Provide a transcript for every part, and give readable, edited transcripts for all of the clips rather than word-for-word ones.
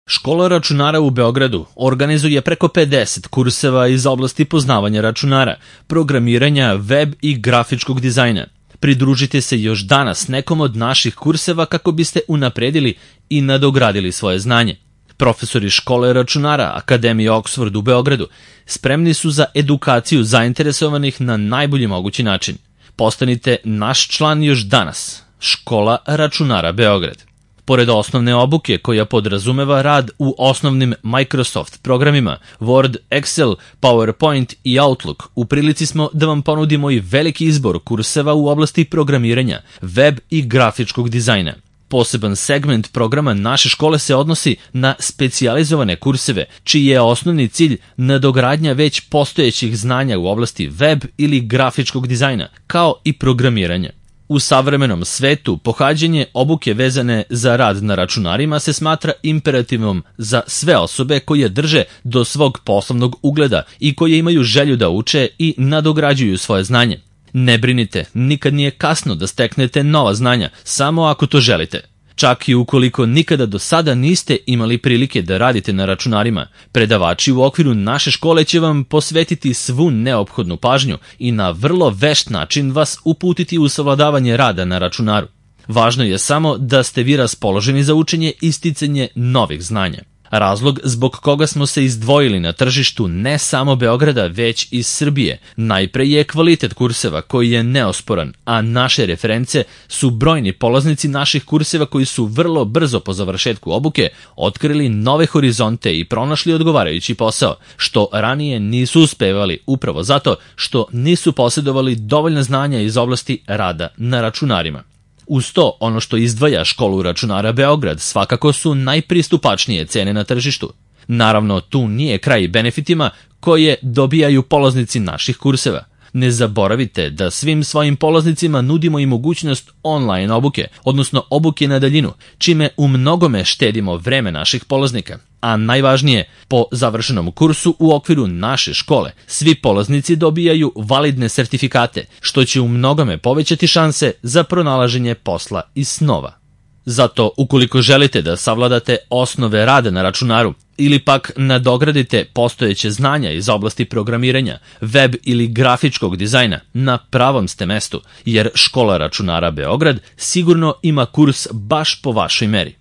Škola računara u Beogradu organizuje preko 50 kurseva iz oblasti poznavanja računara, programiranja, web i grafičkog dizajna. Pridružite se još danas nekom od naših kurseva kako biste unapredili i nadogradili svoje znanje. Profesori Škole računara Akademije Oxford u Beogradu spremni su za edukaciju zainteresovanih na najbolji mogući način. Postanite naš član još danas. Škola računara Beograd. Pored osnovne obuke koja podrazumeva rad u osnovnim Microsoft programima, Word, Excel, PowerPoint i Outlook, u prilici smo da vam ponudimo i veliki izbor kurseva u oblasti programiranja, web i grafičkog dizajna. Poseban segment programa naše škole se odnosi na specijalizovane kurseve, čiji je osnovni cilj nadogradnja već postojećih znanja u oblasti web ili grafičkog dizajna, kao i programiranja. U savremenom svetu pohađanje obuke vezane za rad na računarima se smatra imperativom za sve osobe koje drže do svog poslovnog ugleda i koje imaju želju da uče i nadograđuju svoje znanje. Ne brinite, nikad nije kasno da steknete nova znanja, samo ako to želite. Čak i ukoliko nikada do sada niste imali prilike da radite na računarima, predavači u okviru naše škole će vam posvetiti svu neophodnu pažnju i na vrlo vešt način vas uputiti u savladavanje rada na računaru. Važno je samo da ste vi raspoloženi za učenje i sticanje novih znanja. Razlog zbog koga smo se izdvojili na tržištu ne samo Beograda, već i Srbije, najpre je kvalitet kurseva koji je neosporan, a naše reference su brojni polaznici naših kurseva koji su vrlo brzo po završetku obuke otkrili nove horizonte i pronašli odgovarajući posao, što ranije nisu uspevali upravo zato što nisu posjedovali dovoljna znanja iz oblasti rada na računarima. Uz to, ono što izdvaja Školu računara Beograd svakako su najpristupačnije cene na tržištu. Naravno, tu nije kraj benefitima koje dobijaju polaznici naših kurseva. Ne zaboravite da svim svojim polaznicima nudimo i mogućnost online obuke, odnosno obuke na daljinu, čime u mnogome štedimo vreme naših polaznika. A najvažnije, po završenom kursu u okviru naše škole, svi polaznici dobijaju validne sertifikate, što će u mnogome povećati šanse za pronalaženje posla i snova. Zato, ukoliko želite da savladate osnove rada na računaru ili pak nadogradite postojeće znanja iz oblasti programiranja, web ili grafičkog dizajna, na pravom ste mestu, jer Škola računara Beograd sigurno ima kurs baš po vašoj meri.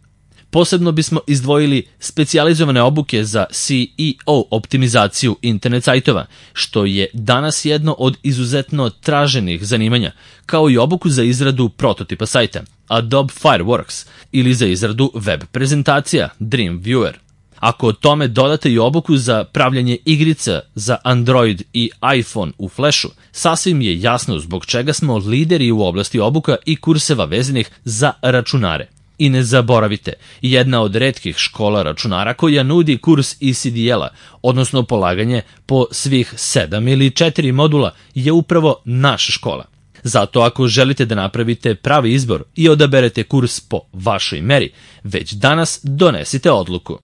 Posebno bismo izdvojili specijalizovane obuke za SEO optimizaciju internet sajtova, što je danas jedno od izuzetno traženih zanimanja, kao i obuku za izradu prototipa sajta, Adobe Fireworks, ili za izradu web prezentacija, Dreamweaver. Ako tome dodate i obuku za pravljanje igrica za Android i iPhone u Flashu, sasvim je jasno zbog čega smo lideri u oblasti obuka i kurseva vezanih za računare. I ne zaboravite, jedna od retkih škola računara koja nudi kurs ECDL-a, odnosno polaganje po svih 7 ili 4 modula, je upravo naša škola. Zato ako želite da napravite pravi izbor i odaberete kurs po vašoj meri, već danas donesite odluku.